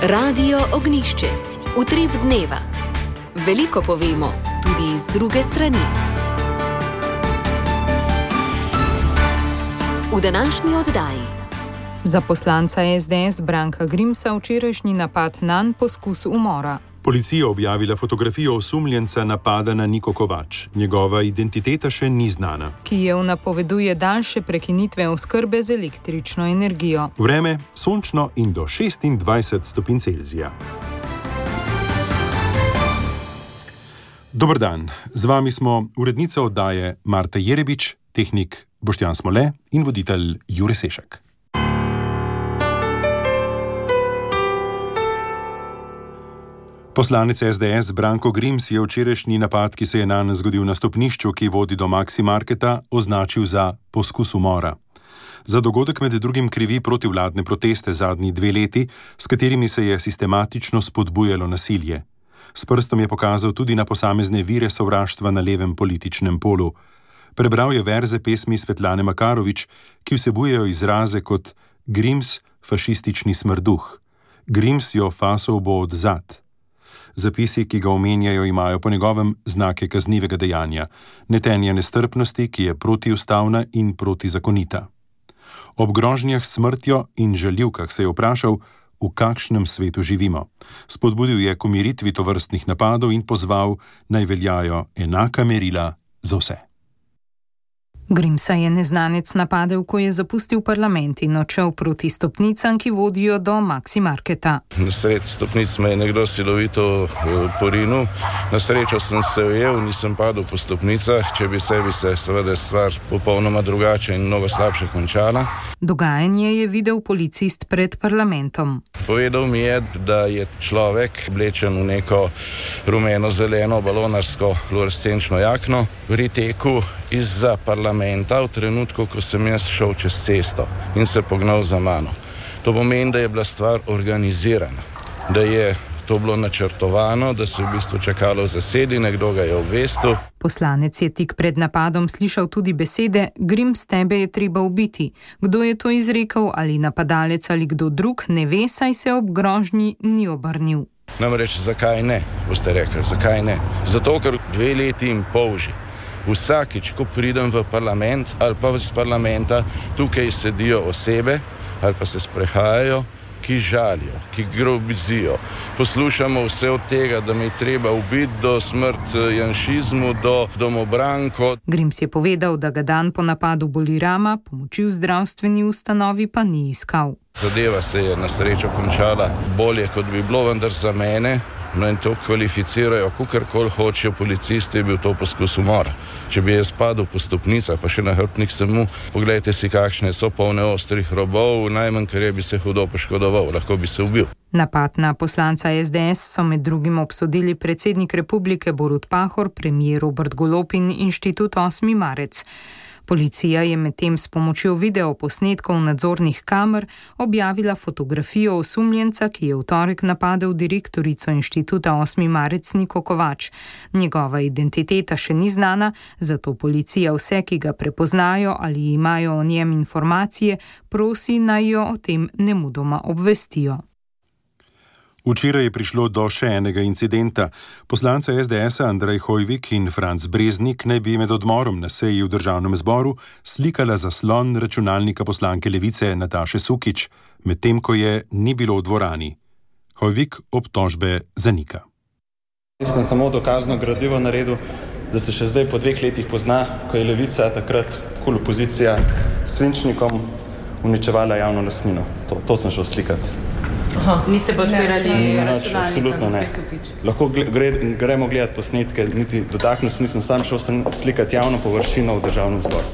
Radio Ognišče, utrip dneva. Veliko povemo, tudi iz druge strani. V današnji oddaji. Za poslanca SDS Branka Grimsa včerajšnji napad nanj poskus umora. Policija objavila fotografijo osumljenca napada na Niko Kovač. Njegova identiteta še ni znana. Kijev napoveduje daljše prekinitve oskrbe z električno energijo. Vreme sončno in do 26 stopinj Celzija. Dober dan, z vami smo urednica oddaje Marta Jerebič, tehnik Boštjan Smole in voditelj Jure Sešek. Poslanec SDS Branko Grims je včerajšnji napad, ki se je nanj zgodil na stopnišču, ki vodi do Maxi Marketa, označil za poskus umora. Za dogodek med drugim krivi protivladne proteste zadnji 2 leti, s katerimi se je sistematično spodbujalo nasilje. S prstom je pokazal tudi na posamezne vire sovraštva na levem političnem polu. Prebral je verze pesmi Svetlane Makarovič, ki vsebujejo izraze kot Grims, fašistični smrduh, Grims jo fasov bo odzad. Zapisi, ki ga omenjajo, imajo po njegovem znake kaznivega dejanja, netenja nestrpnosti, ki je protiustavna in protizakonita. Ob grožnjah s smrtjo in žaljivkah se je vprašal, v kakšnem svetu živimo. Spodbudil je k umiritvi tovrstnih napadov in pozval, naj veljajo enaka merila za vse. Grimsa je neznanec napadel, ko je zapustil parlament in odšel proti stopnicam, ki vodijo do Maxi Marketa. Na sred stopnic me je nekdo silovito porinil. Na srečo sem se ujel, nisem padel po stopnicah, če bi se seveda stvar popolnoma drugače in mnogo slabše končala. Dogajanje je videl policist pred parlamentom. Povedal mi je, da je človek oblečen v neko rumeno-zeleno balonarsko fluorescenčno jakno pri teku izza parlamenta v trenutku, ko sem jaz šel čez cesto in se pognal za mano. To pomeni, da je bila stvar organizirana, da je to bilo načrtovano, da se je v bistvu čakalo v zasedi, nekdo ga je obvestil. Poslanec je tik pred napadom slišal tudi besede: Grims, tebe je treba ubiti. Kdo je to izrekel, ali napadalec ali kdo drug, ne ve, saj se ob grožnji ni obrnil. Namreč, zakaj ne, boste rekli, zakaj ne? Zato, ker 2 leti in pol že vsakič, ko pridem v parlament ali pa iz parlamenta, tukaj sedijo osebe ali pa se sprehajajo, ki žalijo, ki grobizijo. Poslušamo vse od tega, da me je treba ubiti, do smrt janšizmu, do domobranko. Grims je povedal, da ga dan po napadu boli rama, pomoči v zdravstveni ustanovi pa ni iskal. Zadeva se je na srečo končala bolje, kot bi bilo, vendar za mene, no in to kvalificirajo, kakorkoli hočejo policisti, je bil to poskus umora. Če bi jaz padel po stopnicah, pa še na hrbtnik samo, poglejte si, kakšne so polne ostrih robov, najmanj kar je, bi se hudo poškodoval, lahko bi se ubil. Napad na poslanca SDS so med drugim obsodili predsednik republike Borut Pahor, premier Robert Golob in Inštitut 8. marec. Policija je medtem s pomočjo videoposnetkov nadzornih kamer objavila fotografijo osumljenca, ki je v torek napadel direktorico Inštituta 8. marec Niko Kovač. Njegova identiteta še ni znana, zato policija vse, ki ga prepoznajo ali imajo o njem informacije, prosi, naj jo o tem nemudoma obvestijo. Včeraj je prišlo do še enega incidenta. Poslanca SDS-a Andrej Hojvik in Franc Breznik naj bi med odmorom na seji v državnem zboru slikala zaslon računalnika poslanke Levice Nataše Sukič, medtem ko je ni bilo v dvorani. Hojvik obtožbe zanika. Jaz sem samo dokazno gradivo naredil, da se še zdaj po 2 letih pozna, ko je Levica takrat kul opozicija s svinčnikom uničevala javno lastnino. To sem šel slikati. Aha, niste pa odpirali računalnika? Absolutno ne. Lahko gremo gledati posnetke, niti dotaknil se nisem, sam šel sem slikati javno površino v državnem zboru.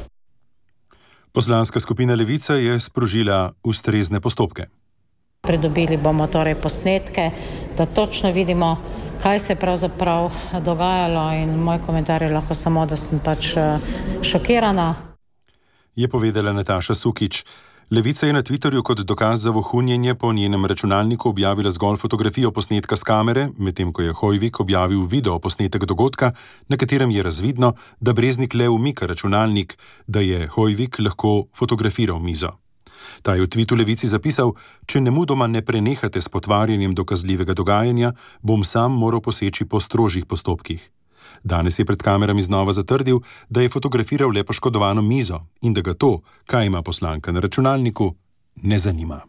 Poslanska skupina Levica je sprožila ustrezne postopke. Pridobili bomo torej posnetke, da točno vidimo, kaj se je pravzaprav dogajalo, in moj komentar je lahko samo, da sem pač šokirana. Je povedala Nataša Sukič. Levica je na Twitterju kot dokaz za vohunjenje po njenem računalniku objavila zgolj fotografijo posnetka s kamere, medtem ko je Hojvik objavil video posnetek dogodka, na katerem je razvidno, da Breznik le umika računalnik, da je Hojvik lahko fotografiral mizo. Ta je v tvitu Levici zapisal: "Če nemudoma ne prenehate s potvarjanjem dokazljivega dogajanja, bom sam moral poseči po strožjih postopkih." Danes je pred kamerami znova zatrdil, da je fotografiral le poškodovano mizo in da ga to, kaj ima poslanka na računalniku, ne zanima.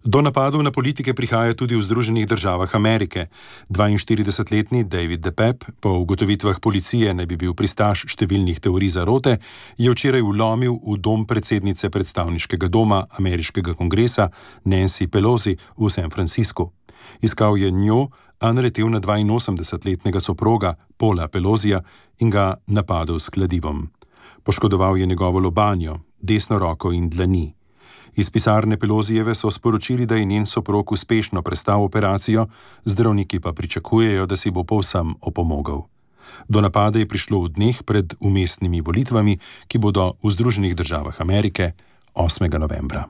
Do napadov na politike prihaja tudi v Združenih državah Amerike. 42-letni David DePape, po ugotovitvah policije naj bi bil pristaš številnih teorij zarote, je včeraj vlomil v dom predsednice predstavniškega doma ameriškega kongresa Nancy Pelosi v San Franciscu. Iskal je njo, a naletel na 82-letnega soproga Paula Pelosija in ga napadel s kladivom. Poškodoval je njegovo lobanjo, desno roko in dlani. Iz pisarne Pelosijeve so sporočili, da je njen soprog uspešno prestal operacijo, zdravniki pa pričakujejo, da si bo povsem opomogel. Do napada je prišlo v dneh pred vmesnimi volitvami, ki bodo v Združenih državah Amerike 8. novembra.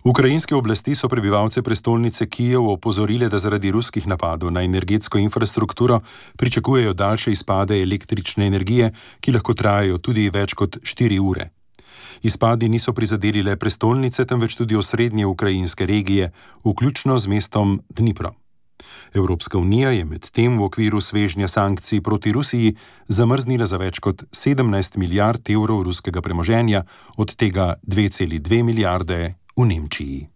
Ukrajinske oblasti so prebivalce prestolnice Kijev opozorile, da zaradi ruskih napadov na energetsko infrastrukturo pričakujejo daljše izpade električne energije, ki lahko trajajo tudi več kot 4 ure. Izpadi niso prizadeli le prestolnice, temveč tudi osrednje ukrajinske regije, vključno z mestom Dnipro. Evropska unija je medtem v okviru svežnja sankcij proti Rusiji zamrznila za več kot 17 milijard evrov ruskega premoženja, od tega 2,2 milijarde v Nemčiji.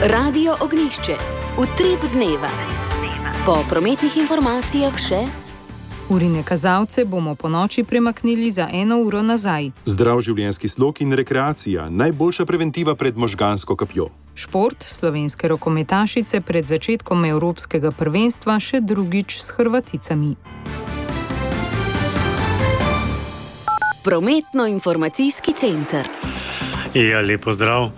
Radio Ognjišče. Utrip dneva. Po prometnih informacijah še: urine kazalce bomo po noči premaknili za 1 uro nazaj. Zdrav življenjski slog in rekreacija, najboljša preventiva pred možgansko kapjo. Šport, slovenske rokometašice pred začetkom evropskega prvenstva še drugič s Hrvaticami. Prometno-informacijski center. Ja, lepo zdrav.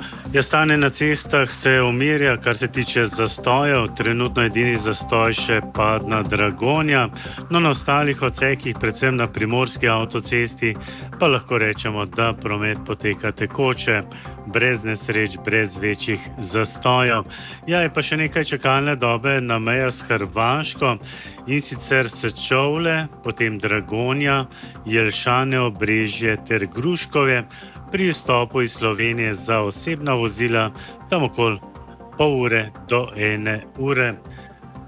Stanje na cestah se umirja, kar se tiče zastojev. Trenutno edini zastoj še Padna Dragonja, no na ostalih odsekih, predvsem na primorski avtocesti, pa lahko rečemo, da promet poteka tekoče, brez nesreč, brez večjih zastojev. Ja, je pa še nekaj čakalne dobe na mejah s Hrvaško, in sicer Sečovlje, potem Dragonja, Jelšane, Obrežje ter Gruškovje. Pri vstopu iz Slovenije za osebna vozila tam okoli pol ure do 1 ure.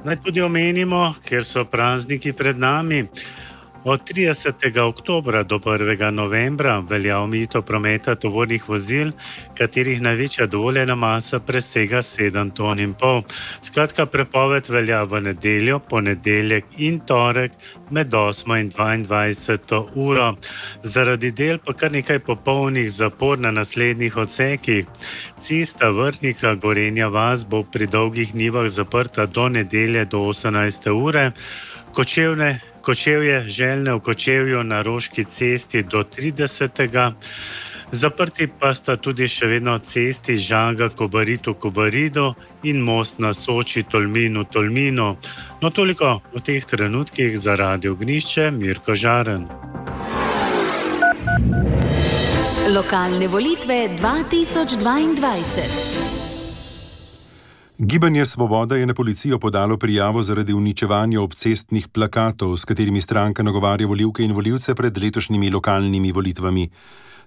Naj tudi omenimo, ker so prazniki pred nami. Od 30. oktobra do 1. novembra velja omejitev prometa tovornih vozil, katerih največja dovoljena masa presega 7,5 ton. Skratka, prepoved velja v nedeljo, ponedeljek in torek med 8. in 22. uro. Zaradi del pa kar nekaj popolnih zapor na naslednjih odsekih. Cesta Vrhnika Gorenja vas bo pri Dolgih Nivah zaprta do nedelje do 18. ure. Kočevje Željne v Kočevju na Roški cesti do 30. Zaprti pa sta tudi še vedno cesti Žanga Kobaridu Kobaridu in most na Soči Tolminu Tolminu. No, toliko v teh trenutkih za Radio Ognjišče, Mirko Žaren. Lokalne volitve 2022. Gibanje Svoboda je na policijo podalo prijavo zaradi uničevanja obcestnih plakatov, s katerimi stranka nagovarja volivke in volivce pred letošnjimi lokalnimi volitvami.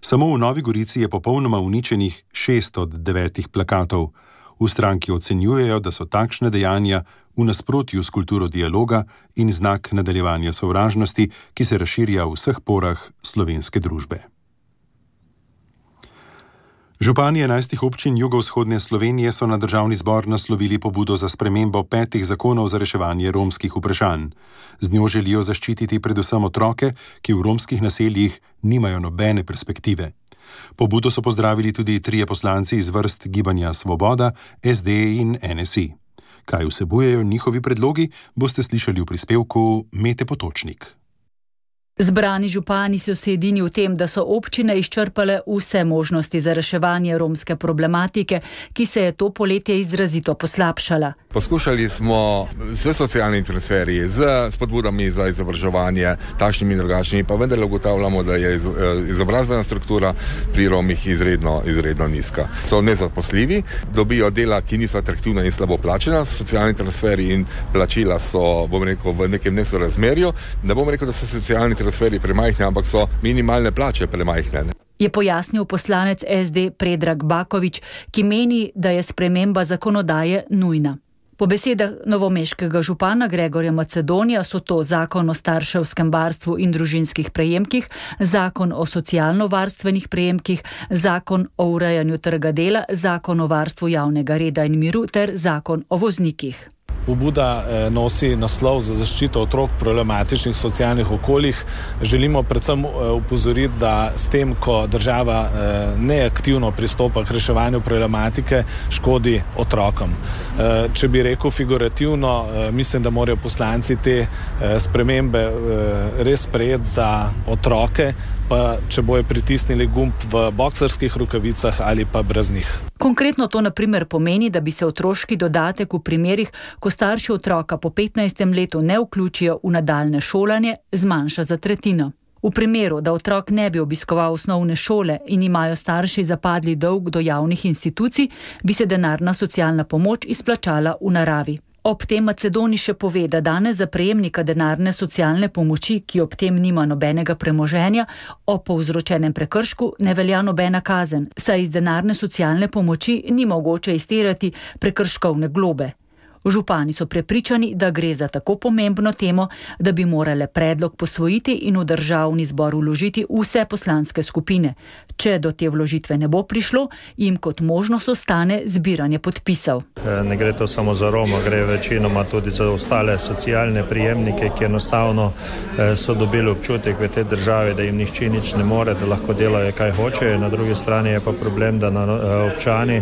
Samo v Novi Gorici je popolnoma uničenih 6 od 9 plakatov. V stranki ocenjujejo, da so takšne dejanja v nasprotju s kulturo dialoga in znak nadaljevanja sovražnosti, ki se razširja v vseh porah slovenske družbe. Župani 11 občin jugovzhodne Slovenije so na državni zbor naslovili pobudo za spremembo 5 zakonov za reševanje romskih vprašanj. Z njo želijo zaščititi predvsem otroke, ki v romskih naseljih nimajo nobene perspektive. Pobudo so pozdravili tudi 3 poslanci iz vrst Gibanja Svoboda, SD in NSI. Kaj vsebujejo njihovi predlogi, boste slišali v prispevku Mete Potočnik. Zbrani župani so se edini v tem, da so občine izčrpale vse možnosti za reševanje romske problematike, ki se je to poletje izrazito poslabšala. Poskušali smo z socialnimi transferji, z spodbudami za izobraževanje, takšnimi in drugačnimi, pa vendar ugotavljamo, da je izobrazbena struktura pri Romih izredno nizka. So nezaposljivi, dobijo dela, ki niso atraktivna in slabo plačena, socialni transferi in plačila so, v nekem nesorazmerju. Ne bom rekel, da so socialni transferi premajhne, ampak so minimalne plače premajhne. Je pojasnil poslanec SD Predrag Bakovič, ki meni, da je sprememba zakonodaje nujna. Po besedah novomeškega župana Gregorja Macedonija so to zakon o starševskem varstvu in družinskih prejemkih, zakon o socialno-varstvenih prejemkih, zakon o urejanju trga dela, zakon o varstvu javnega reda in miru ter zakon o voznikih. Pobuda nosi naslov za zaščito otrok v problematičnih socialnih okoljih. Želimo predvsem upozoriti, da s tem, ko država neaktivno pristopa k reševanju problematike, škodi otrokom. Če bi rekel figurativno, mislim, da morajo poslanci te spremembe res sprejeti za otroke, pa če bojo pritisnili gumb v boksarskih rokavicah ali pa brez njih. Konkretno to na primer pomeni, da bi se otroški dodatek v primerih, ko starši otroka po 15. letu ne vključijo v nadaljne šolanje, zmanjša za tretjino. V primeru, da otrok ne bi obiskoval osnovne šole in imajo starši zapadli dolg do javnih institucij, bi se denarna socialna pomoč izplačala v naravi. Ob tem Macedoni še pove, da danes za prejemnika denarne socialne pomoči, ki ob tem nima nobenega premoženja, o povzročenem prekršku ne velja nobena kazen, saj iz denarne socialne pomoči ni mogoče izterjati prekrškovne globe. Župani so prepričani, da gre za tako pomembno temo, da bi morale predlog posvojiti in v državni zbor vložiti vse poslanske skupine. Če do te vložitve ne bo prišlo, jim kot možnost ostane zbiranje podpisov. Ne gre to samo za Roma, gre večinoma tudi za ostale socialne prijemnike, ki enostavno so dobili občutek v tej državi, da jim nihče nič ne more, da lahko delajo kaj hočejo. Na drugi strani je pa problem, da občani,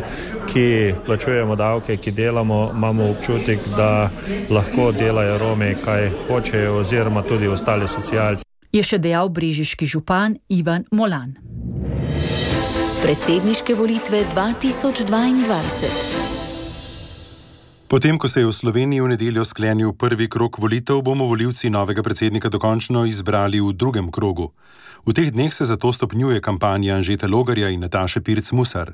ki plačujemo davke, ki delamo, imamo občutek, da lahko delajo Romi kaj hočejo oziroma tudi ostali socialci. Je še dejal brežiški župan Ivan Molan. Predsedniške volitve 2022. Potem, ko se je v Sloveniji v nedeljo sklenil prvi krog volitev, bomo volivci novega predsednika dokončno izbrali v drugem krogu. V teh dneh se zato stopnjuje kampanja Anžeta Logarja in Nataše Pirc Musar.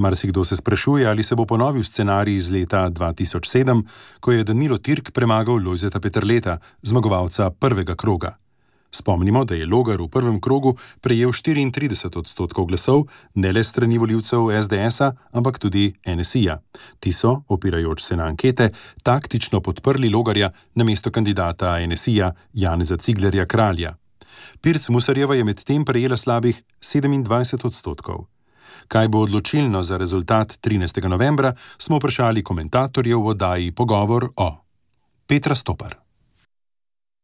Marsikdo se sprašuje, ali se bo ponovil scenarij iz leta 2007, ko je Danilo Türk premagal Lojzeta Peterleta, zmagovalca prvega kroga. Spomnimo, da je Logar v prvem krogu prejel 34% glasov, ne le strani volivcev SDS-a, ampak tudi NSI-ja. Ti so, opirajoč se na ankete, taktično podprli Logarja namesto kandidata NSI-ja Janeza Ciglerja Kralja. Pirc Musarjeva je medtem prejela slabih 27%. Kaj bo odločilno za rezultat 13. novembra, smo vprašali komentatorjev v oddaji Pogovor o. Petra Stopar.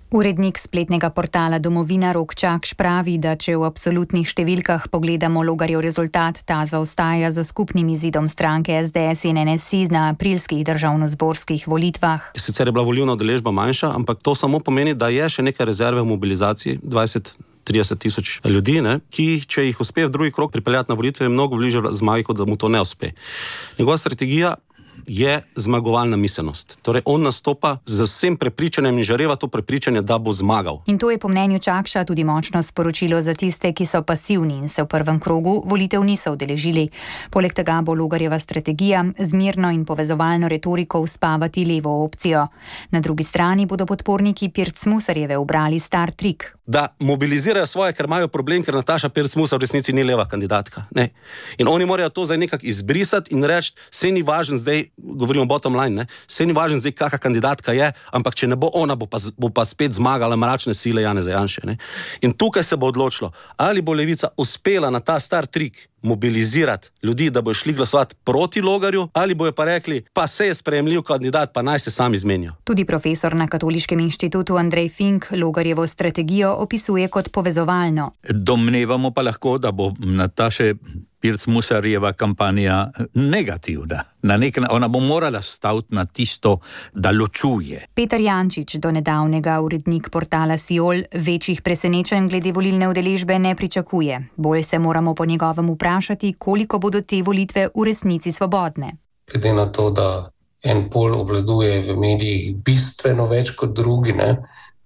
Urednik spletnega portala Domovina Rok Čakš pravi, da če v absolutnih številkah pogledamo Logarjev rezultat, ta zaostaja za skupnim izidom stranke SDS in NSI na aprilskih državnozborskih volitvah. Sicer je bila volilna udeležba manjša, ampak to samo pomeni, da je še nekaj rezerve v mobilizaciji, 20-30 tisoč ljudi, ki, če jih uspe v drugi krog pripeljati na volitve, je mnogo bliže zmagi, kot da mu to ne uspe. Njegova strategija je zmagovalna miselnost. Torej, on nastopa z vsem prepričanjem in žareva to prepričanje, da bo zmagal. In to je po mnenju Čakša tudi močno sporočilo za tiste, ki so pasivni in se v prvem krogu volitev niso udeležili. Poleg tega bo Logarjeva strategija z mirno in povezovalno retoriko uspavati levo opcijo. Na drugi strani bodo podporniki Pirc Musarjeve ubrali star trik. Da mobilizirajo svoje, ker imajo problem, ker Nataša Pirc Musar v resnici ni leva kandidatka. Ne. In oni morajo to zdaj nekako izbrisati in reči, se ni važen zdaj, govorimo bottom line, se ni važen zdaj, kakšna kandidatka je, ampak če ne bo ona, bo pa spet zmagala mračne sile Janeza Janše. Ne. In tukaj se bo odločilo, ali bo Levica uspela na ta star trik mobilizirati ljudi, da bojo šli glasovati proti Logarju, ali bojo pa rekli, pa se je sprejemljiv kandidat, pa naj se sami izmenijo. Tudi profesor na Katoliškem inštitutu Andrej Fink Logarjevo strategijo opisuje kot povezovalno. Domnevamo pa lahko, da bo Nataše Pirc Musarjeva kampanja negativna. Ona bo morala staviti na tisto, da ločuje. Peter Jančič, donedavnega urednik portala Siol, večjih presenečenj glede volilne udeležbe ne pričakuje. Bolj se moramo po njegovem vprašati, koliko bodo te volitve v resnici svobodne. Glede na to, da en pol obvladuje v medijih bistveno več kot drugi,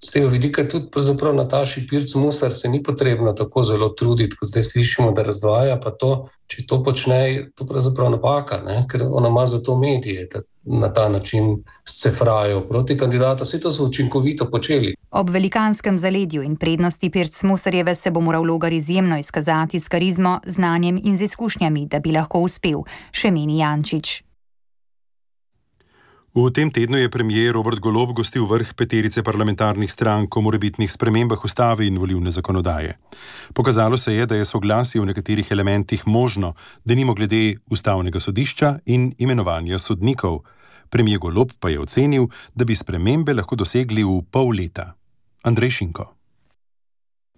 z tega vidika tudi pravzaprav Nataši Pirc Musar se ni potrebno tako zelo truditi, kot zdaj slišimo, da razdvaja, pa to, če to počne, to pravzaprav napaka, ker ona ima za to medije, da na ta način se frajo proti kandidata. Vse to so učinkovito počeli. Ob velikanskem zaledju in prednosti Pirc Musarjeve se bo moral Logar izjemno izkazati s karizmo, znanjem in z izkušnjami, da bi lahko uspel, še meni Jančič. V tem tednu je premier Robert Golob gostil vrh peterice parlamentarnih strank o morebitnih spremembah ustave in volilne zakonodaje. Pokazalo se je, da je soglasje v nekaterih elementih možno, denimo glede ustavnega sodišča in imenovanja sodnikov. Premier Golob pa je ocenil, da bi spremembe lahko dosegli v pol leta. Andrej Šinko.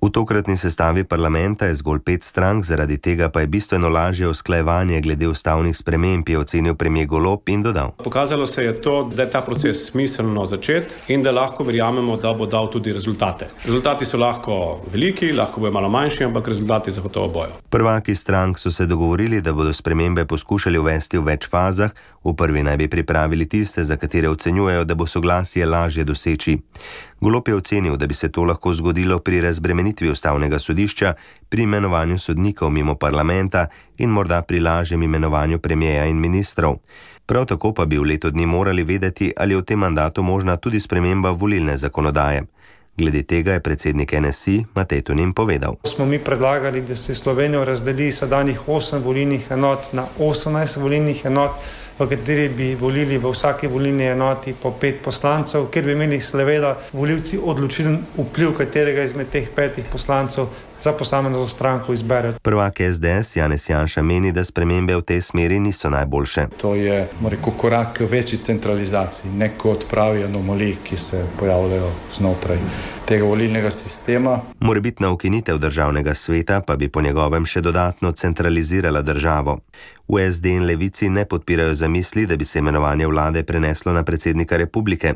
V tokratni sestavi parlamenta je zgolj 5 strank, zaradi tega pa je bistveno lažje usklajevanje glede ustavnih sprememb, je ocenil premier Golob in dodal. Pokazalo se je to, da je ta proces smiselno začeti in da lahko verjamemo, da bo dal tudi rezultate. Rezultati so lahko veliki, lahko bojo malo manjši, ampak rezultati zagotovo bojo. Prvaki strank so se dogovorili, da bodo spremembe poskušali uvesti v več fazah. V prvi naj bi pripravili tiste, za katere ocenjujejo, da bo soglasje lažje doseči. Golob je ocenil, da bi se to lahko zgodilo pri razbremenitvi ustavnega sodišča, pri imenovanju sodnikov mimo parlamenta in morda pri lažjem imenovanju premierja in ministrov. Prav tako pa bi v letu dni morali vedeti, ali je v tem mandatu možna tudi sprememba volilne zakonodaje. Glede tega je predsednik NSI Matej Tonin povedal. Smo mi predlagali, da se Slovenijo razdeli sedanjih 8 volilnih enot na 18 volilnih enot, v kateri bi volili v vsaki volilni enoti po 5 poslancev, ker bi imeli seveda volivci odločilen vpliv, katerega izmed teh 5 poslancev za posamezno stranko izberejo. Prvak SDS Janez Janša meni, da spremembe v tej smeri niso najboljše. To je korak k večji centralizaciji, ne kot pravi anomaliji, ki se pojavljajo znotraj tega volilnega sistema. Morebitna ukinitev državnega sveta pa bi po njegovem še dodatno centralizirala državo. V SD in Levici ne podpirajo zamisli, da bi se imenovanje vlade preneslo na predsednika republike.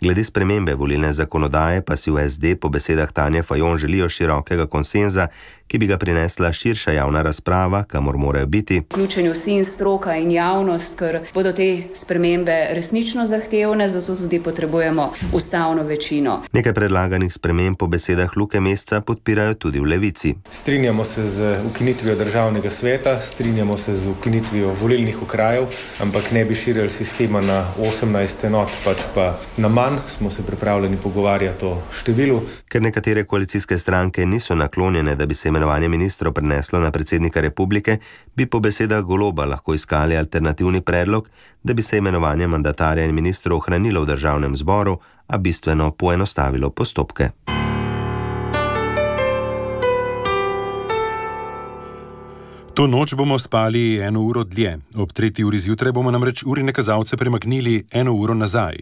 Glede spremembe volilne zakonodaje pa si v SD po besedah Tanje Fajon želijo širokega konsenza, ki bi ga prinesla širša javna razprava, kamor morajo biti vključeni vsi in stroka in javnost, ker bodo te spremembe resnično zahtevne, zato tudi potrebujemo ustavno večino. Nekaj predlaganih sprememb po besedah Luke Mesca podpirajo tudi v Levici. Strinjamo se z ukinitvijo državnega sveta, strinjamo se z ukinitvijo volilnih okrajev, ampak ne bi širili sistema na 18 enot, pač pa na manj. Smo se pripravljeni pogovarjati o številu. Ker nekatere koalicijske stranke niso naklonjene, da bi se imenovanje ministrov preneslo na predsednika republike, bi po besedah Goloba lahko iskali alternativni predlog, da bi se imenovanje mandatarja in ministrov ohranilo v državnem zboru, a bistveno poenostavilo postopke. To noč bomo spali 1 uro dlje. Ob 3. uri zjutraj bomo namreč urine kazalce premaknili 1 uro nazaj.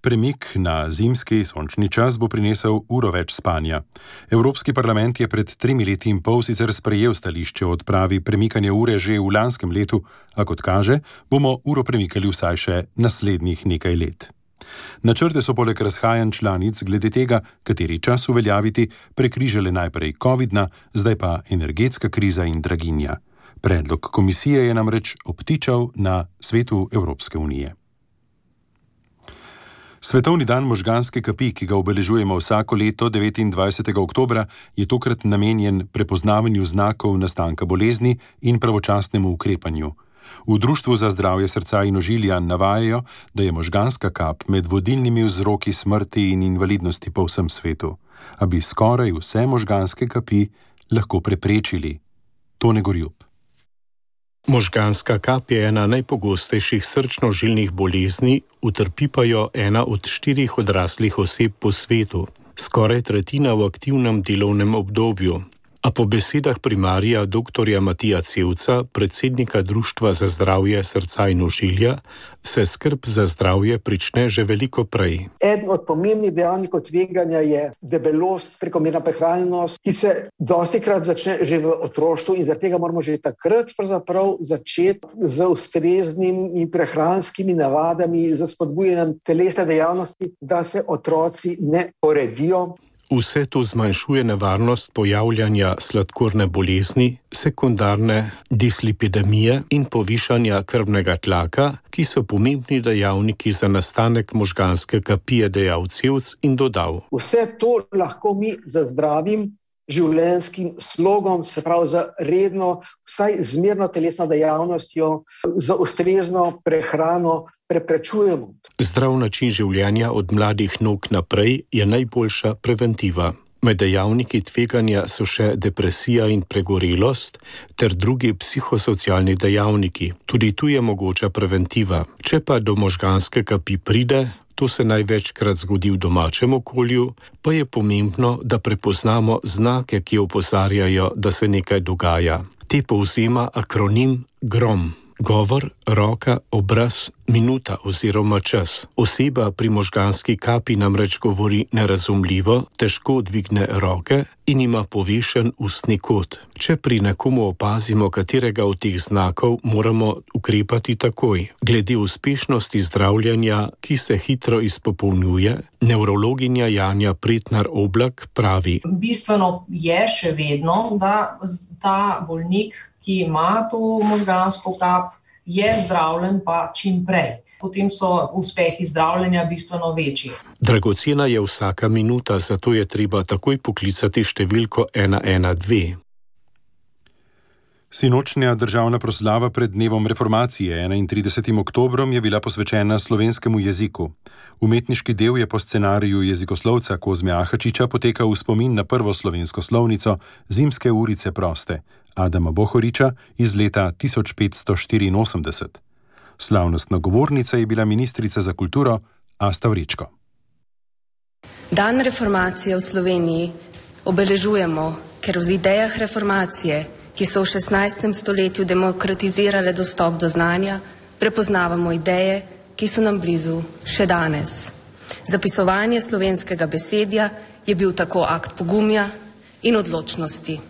Premik na zimski sončni čas bo prinesel uro več spanja. Evropski parlament je pred 3 leti in pol sicer sprejel stališče o odpravi premikanja ure že v lanskem letu, a kot kaže, bomo uro premikali vsaj še naslednjih nekaj let. Načrte so poleg razhajanj članic glede tega, kateri čas uveljaviti, prekrižale najprej covidna, zdaj pa energetska kriza in draginja. Predlog komisije je namreč obtičal na svetu Evropske unije. Svetovni dan možganske kapi, ki ga obeležujemo vsako leto 29. oktobra, je tokrat namenjen prepoznavanju znakov nastanka bolezni in pravočasnemu ukrepanju. V Društvu za zdravje srca in ožilja navajajo, da je možganska kap med vodilnimi vzroki smrti in invalidnosti po vsem svetu, a bi skoraj vse možganske kapi lahko preprečili. Tone Gorjup. Možganska kap je ena najpogostejših srčno-žilnih bolezni, utrpi pa jo 1 od 4 odraslih oseb po svetu, skoraj tretjina v aktivnem delovnem obdobju. A po besedah primarija dr. Matija Cevca, predsednika Društva za zdravje srca in ožilja, se skrb za zdravje prične že veliko prej. Eden od pomembnih dejavnikov tveganja je debelost, prekomerna prehranjenost, ki se dostikrat začne že v otroštvu in zaradi tega moramo že takrat pravzaprav začeti z ustreznimi prehranskimi navadami, z spodbujanjem telesne dejavnosti, da se otroci ne poredijo. Vse to zmanjšuje nevarnost pojavljanja sladkorne bolezni, sekundarne dislipidemije in povišanja krvnega tlaka, ki so pomembni dejavniki za nastanek možganske kapi, je dejal Cevc in dodal. Vse to lahko mi z zdravim življenjskim slogom, se pravi za redno, vsaj zmerno telesno dejavnostjo, za ustrezno prehrano preprečujemo. Zdrav način življenja od mladih nog naprej je najboljša preventiva. Med dejavniki tveganja so še depresija in pregorelost ter drugi psihosocialni dejavniki. Tudi tu je mogoča preventiva. Če pa do možganske kapi pride, to se največkrat zgodi v domačem okolju, pa je pomembno, da prepoznamo znake, ki opozarjajo, da se nekaj dogaja. Te povzema akronim GROM. Govor, roka, obraz, minuta oziroma čas. Oseba pri možganski kapi namreč govori nerazumljivo, težko dvigne roke in ima povešen ustni kot. Če pri nekomu opazimo katerega od teh znakov, moramo ukrepati takoj. Glede uspešnosti zdravljenja, ki se hitro izpopolnjuje, nevrologinja Janja Pretnar Oblak pravi. Bistveno je še vedno, da ta bolnik, ki ima to možgansko kap, je zdravljen pa čim prej. Potem so uspehi zdravljenja bistveno večji. Dragocena je vsaka minuta, zato je treba takoj poklicati številko 112. Sinočnja državna proslava pred dnevom reformacije 31. oktobrom je bila posvečena slovenskemu jeziku. Umetniški del je po scenariju jezikoslovca Kozme Ahačiča potekal v spomin na prvo slovensko slovnico Zimske urice proste Adama Bohoriča iz leta 1584. Slavnostna govornica je bila ministrica za kulturo Asta Vrečko. Dan reformacije v Sloveniji obeležujemo, ker v idejah reformacije, ki so v 16. stoletju demokratizirale dostop do znanja, prepoznavamo ideje, ki so nam blizu še danes. Zapisovanje slovenskega besedja je bil tako akt pogumja in odločnosti.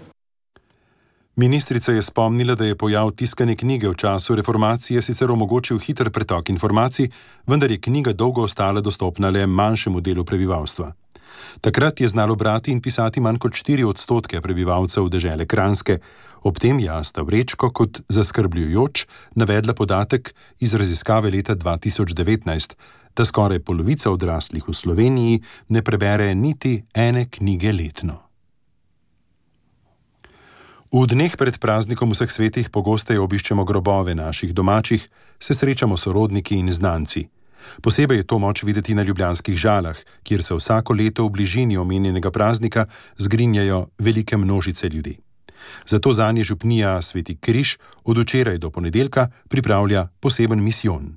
Ministrica je spomnila, da je pojav tiskane knjige v času reformacije sicer omogočil hiter pretok informacij, vendar je knjiga dolgo ostala dostopna le manjšemu delu prebivalstva. Takrat je znalo brati in pisati manj kot 4% prebivalcev dežele Kranjske. Ob tem je Asta Vrečko kot zaskrbljujoč navedla podatek iz raziskave leta 2019, da skoraj polovica odraslih v Sloveniji ne prebere niti ene knjige letno. V dneh pred praznikom vseh svetih pogosteje obiščemo grobove naših domačih, se srečamo sorodniki in znanci. Posebej je to moč videti na ljubljanskih Žalah, kjer se vsako leto v bližini omenjenega praznika zgrinjajo velike množice ljudi. Zato zanje župnija Sveti Križ od včeraj do ponedeljka pripravlja poseben misijon.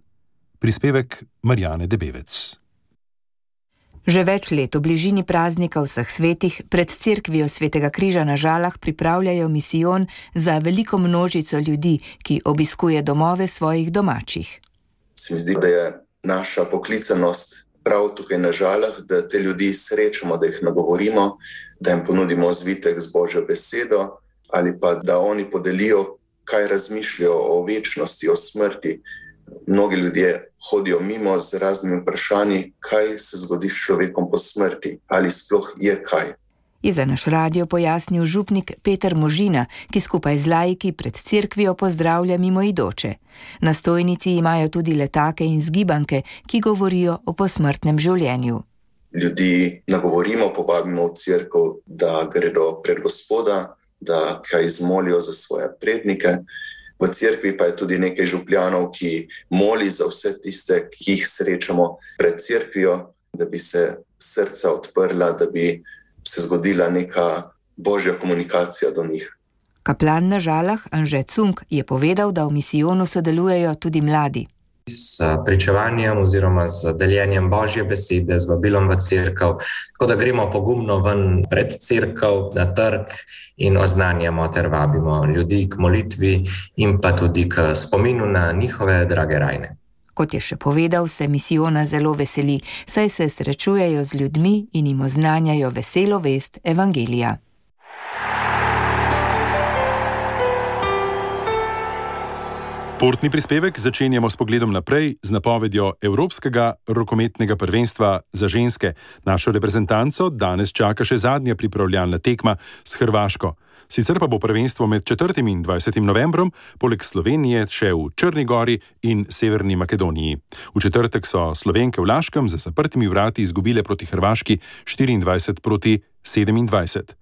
Prispevek Marjane Debevec. Že več let v bližini praznika vseh svetih pred cerkvijo Svetega Križa na Žalah pripravljajo misijon za veliko množico ljudi, ki obiskuje domove svojih domačih. Se mi zdi, da je naša poklicanost prav tukaj na Žalah, da te ljudi srečamo, da jih nagovorimo, da jim ponudimo zvitek z Božjo besedo ali pa da oni podelijo, kaj razmišljajo o večnosti, o smrti. Mnogi ljudje hodijo mimo z raznimi vprašanji, kaj se zgodi s človekom po smrti, ali sploh je kaj. Je za naš radio pojasnil župnik Peter Možina, ki skupaj z laiki pred cerkvijo pozdravlja mimoidoče. Na stojnici imajo tudi letake in zgibanke, ki govorijo o posmrtnem življenju. Ljudi nagovorimo, povabimo v cerkev, da gredo pred Gospoda, da kaj izmolijo za svoje prednike. V cerkvi pa je tudi nekaj župljanov, ki moli za vse tiste, ki jih srečamo pred cerkvijo, da bi se srca odprla, da bi se zgodila neka božja komunikacija do njih. Kaplan na Žalah Anže Cunk je povedal, da v misijonu sodelujejo tudi mladi. s pričevanjem oziroma z deljenjem Božje besede, z vabilom v cerkev, tako da gremo pogumno ven pred cerkev, na trg in oznanjamo ter vabimo ljudi k molitvi in pa tudi k spominu na njihove drage rajne. Kot je še povedal, se misijona zelo veseli, saj se srečujejo z ljudmi in jim oznanjajo veselo vest evangelija. Športni prispevek začenjamo s pogledom naprej z napovedjo Evropskega rokometnega prvenstva za ženske. Našo reprezentanco danes čaka še zadnja pripravljalna tekma s Hrvaško. Sicer pa bo prvenstvo med 4. in 20. novembrom poleg Slovenije še v Črni Gori in Severni Makedoniji. V četrtek so Slovenke v Laškem za zaprtimi vrati izgubile proti Hrvaški 24 proti 27.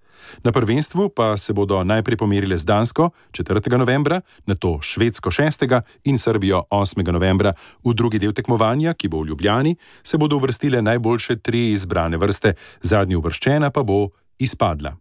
Na prvenstvu pa se bodo najprej pomerile z Dansko 4. novembra, nato Švedsko 6. in Srbijo 8. novembra. V drugi del tekmovanja, ki bo v Ljubljani, se bodo uvrstile najboljše 3 izbrane vrste, zadnja uvrščena pa bo izpadla.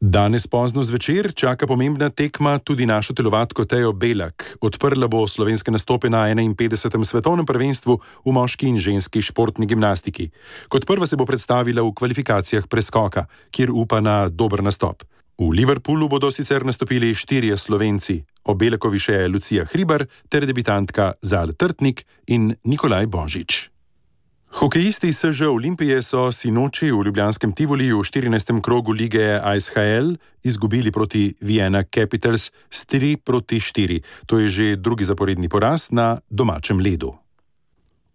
Danes pozno zvečer čaka pomembna tekma tudi našo telovadko Tejo Belak. Odprla bo slovenske nastope na 51. svetovnem prvenstvu v moški in ženski športni gimnastiki. Kot prva se bo predstavila v kvalifikacijah preskoka, kjer upa na dober nastop. V Liverpoolu bodo sicer nastopili 4 Slovenci, ob Belakovi še Lucija Hribar ter debitantka Zal Trtnik in Nikolaj Božič. Hokejisti SŽ Olimpije so sinoči v ljubljanskem Tivoliju v 14. krogu lige ISHL izgubili proti Vienna Capitals s 3 proti 4. To je že drugi zaporedni poraz na domačem ledu.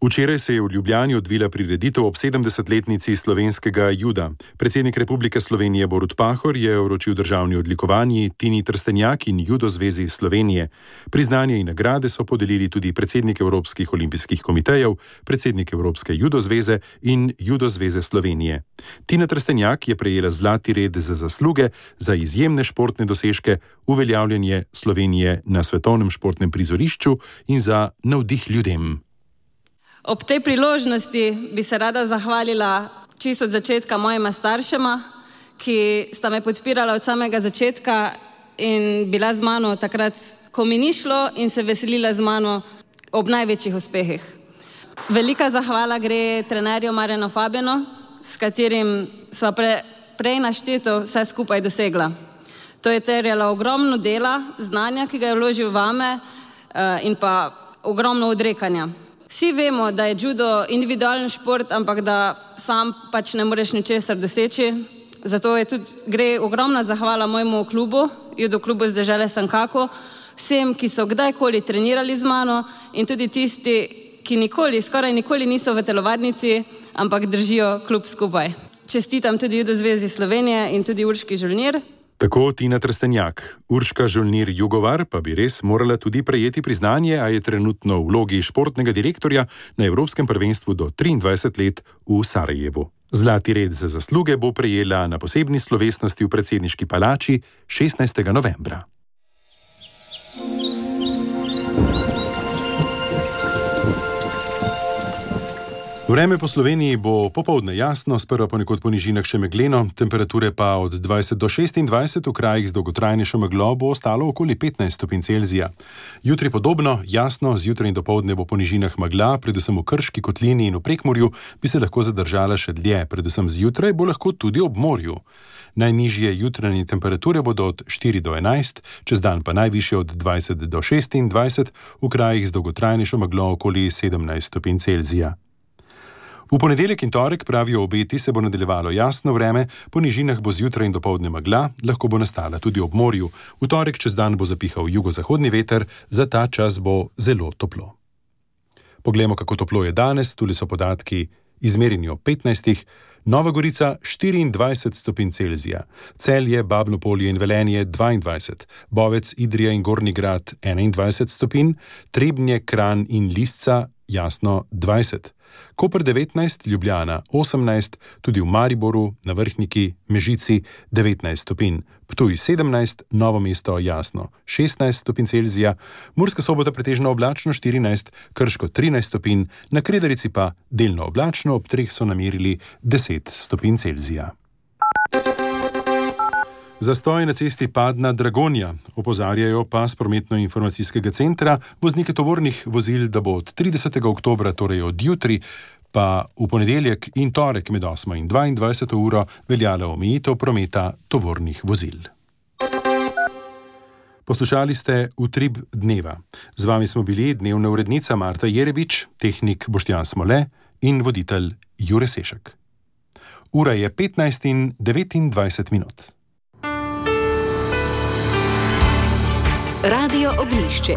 Včeraj se je v Ljubljani odvila prireditev ob 70-letnici slovenskega juda. Predsednik Republike Slovenije Borut Pahor je vročil državni odlikovanji Tini Trstenjak in Judo zvezi Slovenije. Priznanje in nagrade so podelili tudi predsednik Evropskih olimpijskih komitejev, predsednik Evropske judo zveze in Judo zveze Slovenije. Tina Trstenjak je prejela zlati red za zasluge za izjemne športne dosežke, uveljavljanje Slovenije na svetovnem športnem prizorišču in za navdih ljudem. Ob tej priložnosti bi se rada zahvalila čisto od začetka mojima staršema, ki sta me podpirala od samega začetka in bila z mano takrat, ko mi ni šlo, in se veselila z mano ob največjih uspehih. Velika zahvala gre trenerju Marjanu Fabjanu, s katerim sva prej našteto vse skupaj dosegla. To je terjalo ogromno dela, znanja, ki ga je vložil vame, in pa ogromno odrekanja. Vsi vemo, da je judo individualen šport, ampak da sam pač ne moreš ničesar doseči. Zato je tudi gre ogromna zahvala mojemu klubu, judo klubu z dežele Sankako, vsem, ki so kdajkoli trenirali z mano in tudi tisti, ki skoraj nikoli niso v telovadnici, ampak držijo klub skupaj. Čestitam tudi Judo zvezi Slovenije in tudi Urški Žolnir. Tako Tina Trstenjak. Urška Žolnir Jugovar pa bi res morala tudi prejeti priznanje, a je trenutno v vlogi športnega direktorja na Evropskem prvenstvu do 23 let v Sarajevu. Zlati red za zasluge bo prejela na posebni slovesnosti v predsedniški palači 16. novembra. Vreme po Sloveniji bo popoldne jasno, sprva ponekod po nižinah še megleno, temperature pa od 20 do 26, v krajih z dolgotrajnejšo meglo bo ostalo okoli 15 stopinj Celzija. Jutri podobno, jasno, zjutraj in dopoldne bo po nižinah megla, predvsem v Krški kotlini in v Prekmurju bi se lahko zadržala še dlje, predvsem zjutraj bo lahko tudi ob morju. Najnižje jutranje temperature bodo od 4 do 11, čez dan pa najvišje od 20 do 26, v krajih z dolgotrajnejšo meglo okoli 17 stopinj Celzija. V ponedeljek in torek, pravijo obeti, se bo nadaljevalo jasno vreme, po nižinah bo zjutraj in dopoldne megla, lahko bo nastala tudi ob morju. V torek čez dan bo zapihal jugozahodni veter, za ta čas bo zelo toplo. Poglejmo, kako toplo je danes, tule so podatki izmerjeni ob 15. Nova Gorica 24 stopinj Celzija, Celje, Babno Polje in Velenje 22, Bovec, Idrija in Gornji Grad 21 stopinj, Trebnje, Kranj in Lisca jasno 20. Koper 19, Ljubljana 18, tudi v Mariboru, na Vrhniki, Mežici 19 stopinj, Ptuj 17, Novo mesto jasno 16 stopinj Celzija, Murska Sobota pretežno oblačno 14, Krško 13 stopinj, na Kredarici pa delno oblačno, ob 3 so namerili 10 stopinj Celzija. Zastoj na cesti Padna-Dragonja, opozarjajo pa s prometno-informacijskega centra voznike tovornih vozil, da bo od 30. oktobra, torej od jutri, pa v ponedeljek in torek med 8. in 22. uro veljala omejitev prometa tovornih vozil. Poslušali ste Utrip dneva. Z vami smo bili dnevna urednica Marta Jerebič, tehnik Boštjan Smole in voditelj Jure Sešek. Ura je 15:29 minut. Radio Oglišče.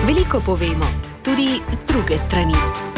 Veliko povemo, tudi z druge strani.